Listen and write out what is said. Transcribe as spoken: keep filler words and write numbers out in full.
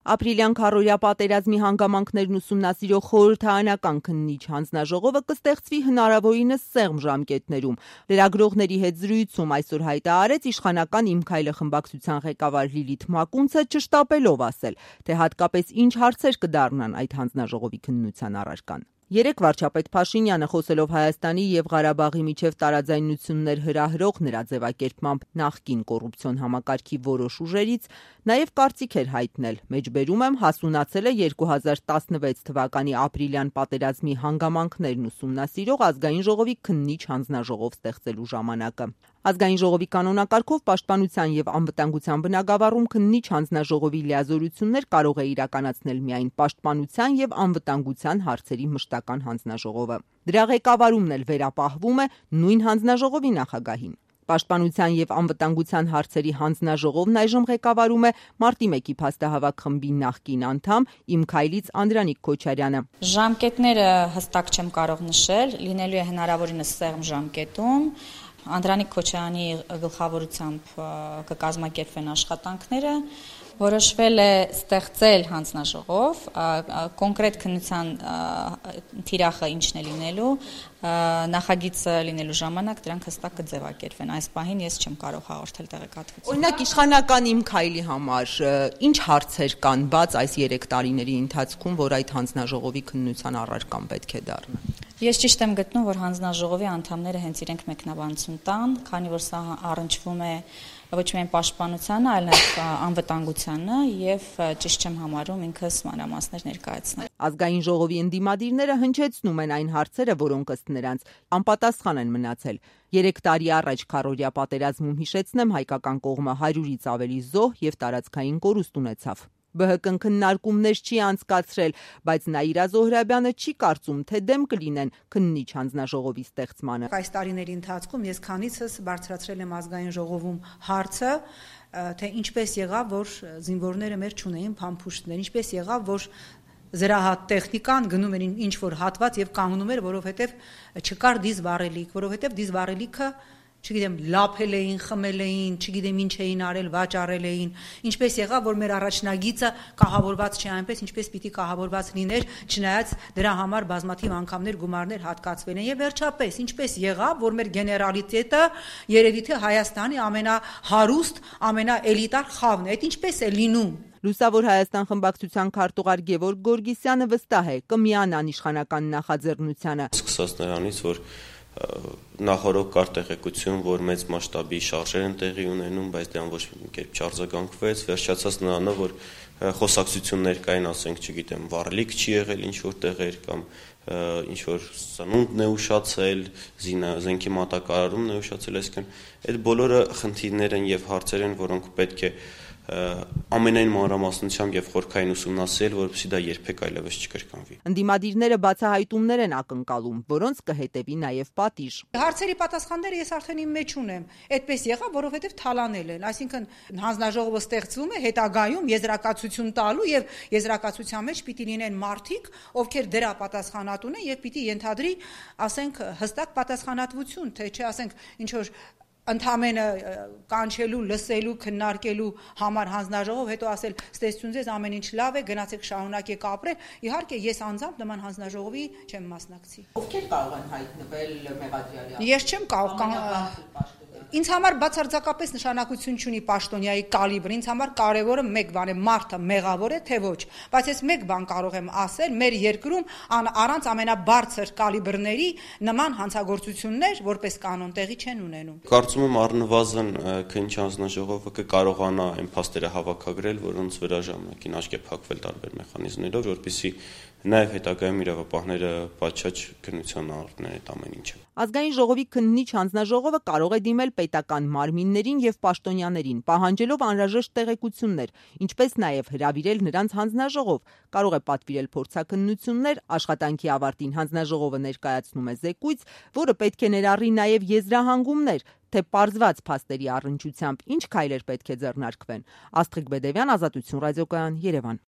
Ապրիլյան քառօրյա պատերազմի հանգամանքներն ուսումնասիրող խորհրդարանական քննիչ հանձնաժողովը կստեղծվի հնարավորինս սեղմ ժամկետներում։ Լրագրողների հետ զրույցում այսօր հայտարարեց իշխանական «Իմ քայլը» խմբակցության ղեկավար Լիլիթ Մակունցը, չշտապելով ասել, թե հատկապես ինչ հարցեր կդառնան այդ հանձնաժողովի քննության առարկան։ Երեկ վարչապետ Փաշինյանը, խոսելով Հայաստանի եւ Ղարաբաղի միջև տարաձայնություններ հրահրող նրա ձևակերպմամբ նախկին կոռուպցիոն համակարգի որոշ ուժերից, նաեւ կարծիք էր հայտնել, մեջբերում եմ հասունացել է երկու հազար տասնվեց թվականի ապրիլյան պատերազմի հանգամանքներն ուսումնասիրող ազգային ժողովի քննիչ հանձնաժողով ստեղծելու ժամանակը։ Ազգային ժողովի կանոնակարգով պաշտպանության եւ անվտանգության բնագավառում քննիչ հանձնաժողովի լիազորություններ կարող է իրականացնել միայն պաշտպանության եւ անվտանգության հարցերի մշտական հանձնաժողովը։ Դրա ղեկավարումն էլ վերապահվում է նույն հանձնաժողովի նախագահին։ Պաշտպանության եւ անվտանգության հարցերի հանձնաժողովն այժմ ղեկավարում է Մարտի մեկի փաստահավաք խմբի նախկին անդամ «Իմ քայլից» Անդրանիկ Քոչարյանը։ Ժամկետները հստակ չեմ կարող նշել, լինելու է հնարավորինս սեղմ ժամկետում։ Անդրանիկ Քոչարյանի գլխավորությամբ կկազմակերպվեն աշխատանքները, որոշվել է ստեղծել հանձնաժողով, կոնկրետ քննության թիրախը ինչն է լինելու, նախագիծը լինելու ժամանակ դրանք հստակ կձևակերպվեն։ Այս պահին ես չեմ կարող հաղորդել տեղեկատվություն։ Օրինակ իշխանական «Իմ քայլի» համար ինչ հարցեր կան բաց այս երեք տարիների ընթացքում, որ այդ հանձնաժողովի քննության առարկան պետք է դառնա։ Ես ճիշտ եմ գտնում, որ հանձնաժողովի անդամները հենց իրենք մեկնաբանություն տան, քանի որ սա առնչվում է ոչ միայն պաշտպանությանը, այլ նաև անվտանգությանը եւ ճիշտ չեմ համարում ինքս մանրամասներ ներկայացնել։ Ազգային ժողովի ընդդիմադիրները հնչեցնում են այն հարցերը, որոնք ըստ նրանց անպատասխան են մնացել։ Երեք տարի առաջ քառօրյա պատերազմում, հիշեցնեմ, հայկական կողմը հարյուրից ավելի զոհ եւ տարածքային կորուստ ունեցավ։ Բը հը կը քննարկումներ չի անցկացրել, բայց Նաիրա Զոհրաբյանը չի կարծում, թե դեմ կլինեն քննիչ հանձնաժողովի ստեղծմանը։ Այս տարիների ընթացքում ես քանիցս բարձրացրել եմ ազգային ժողովում հարցը, թե ինչպես եղավ, որ զինվորները մեր չունեին փամփուշտներ, ինչպես եղավ, որ զրահատ տեխնիկան գնում էր ինչ որ հատված եւ կանգնում էր, որովհետեւ չկար դիզ վառելիք, որովհետեւ դիզ վառելիքը չգիտեմ, լափել էին, խմել էին, չգիտեմ ինչ էին արել, վաճառել էին, ինչպես եղավ, որ մեր առաջնագիծը կահավորված չէ այնպես, ինչպես պիտի կահավորված լիներ, չնայած դրա համար բազմաթիվ անգամներ գումարներ հատկացվել են եւ վերջապես, ինչպես եղավ, որ մեր գեներալիտետը երևի թե Հայաստանի ամենահարուստ, ամենաէլիտար խավն է, այդ ինչպես է լինում։ Լուսավոր Հայաստան խմբակցության քարտուղար Գևորգ Գորգիսյանը վստահ է կմիանան իշխանական նախաձեռնությանը։ Սկսած նրանից, որ նախորդ կար տեղեկություն, որ մեծ մասշտաբի շարժեր են տեղի ունենում, բայց դրան ոչ մի կերպ չարձագանքվեց, վերջացած նրանով, որ խոսակցություններ կային, ասենք, չգիտեմ, վառելիք չի եղել ինչ որ տեղեր կամ ինչ որ սնունդն է ուշացել, զենքի մատակարարումն է ուշացել, այսինքն այդ բոլորը խնդիրներ են եւ հարցեր են, որոնք պետք է ամենայն մանրամասնությամբ եւ խորքային ուսումնասիրել, որովհետեւ դա երբեք այլևս չկրկնվի։ Ընդդիմադիրները բացահայտումներ են ակնկալում, որոնց կհետևի նաեւ պատիժ։ Հարցերի պատասխանները ես արդեն իմ մեջ ունեմ։ Այդպես եղավ, որովհետեւ թալանել են, այսինքն հանձնաժողովը ստեղծվում է հետագայում եզրակացություն տալու եւ եզրակացության մեջ պիտի լինեն մարդիկ, ովքեր դրա պատասխանատուն են եւ պիտի ենթադրի, ասենք, հստակ պատասխանատվություն, թե չէ, ասենք, ինչ որ ընդամենը կանչելու, լսելու, քննարկելու համար հանձնաժողով, հետո ասել ստեսություն ձեզ ամեն ինչ լավ է, գնացեք շարունակեք ապրել։ Իհարկե ես անձամբ նման հանձնաժողովի չեմ մասնակցի։ Ովքեր կարող են հայտնվել մեղադրյալի։ Ես չեմ կարող Ինձ համար բացարձակապես նշանակություն չունի պաշտոնյայի կալիբրը, ինձ համար կարևորը մեկ բան է, մարդը մեղավոր է, թե ոչ։ Բայց ես մեկ բան կարող եմ ասել, մեր երկրում առանց ամենաբարձր կալիբրների նման հանցագործություններ որպես կանոն տեղի չեն ունենում։ Կարծում եմ առնվազն քննիչ հանձնաժողովը կկարողանա այն փաստերը հավաքագրել, որոնց վրա ժամանակին աչք է փակվել տարբեր մեխանիզմներով, որպեսզի նաև հետագայում իրավապահները պատշաճ քննության առնեն այդ ամեն ինչը։ Ազգային ժողովի քննիչ հանձնաժողովը կարող է դիմել պետական մարմիններին եւ պաշտոնյաներին, պահանջելով անհրաժեշտ տեղեկություններ, ինչպես նաեւ հրավիրել նրանց հանձնաժողով, կարող է պատվիրել փորձաքննություններ, աշխատանքի ավարտին հանձնաժողովը ներկայացնում է զեկույց, որը պետք է ներառի նաեւ եզրահանգումներ, թե պարզված փաստերի առնչությամբ ինչ քայլեր պետք է ձեռնարկվեն։ Աստղիկ Բեդևյան, Ազատություն ռադիոկայան, Երևան։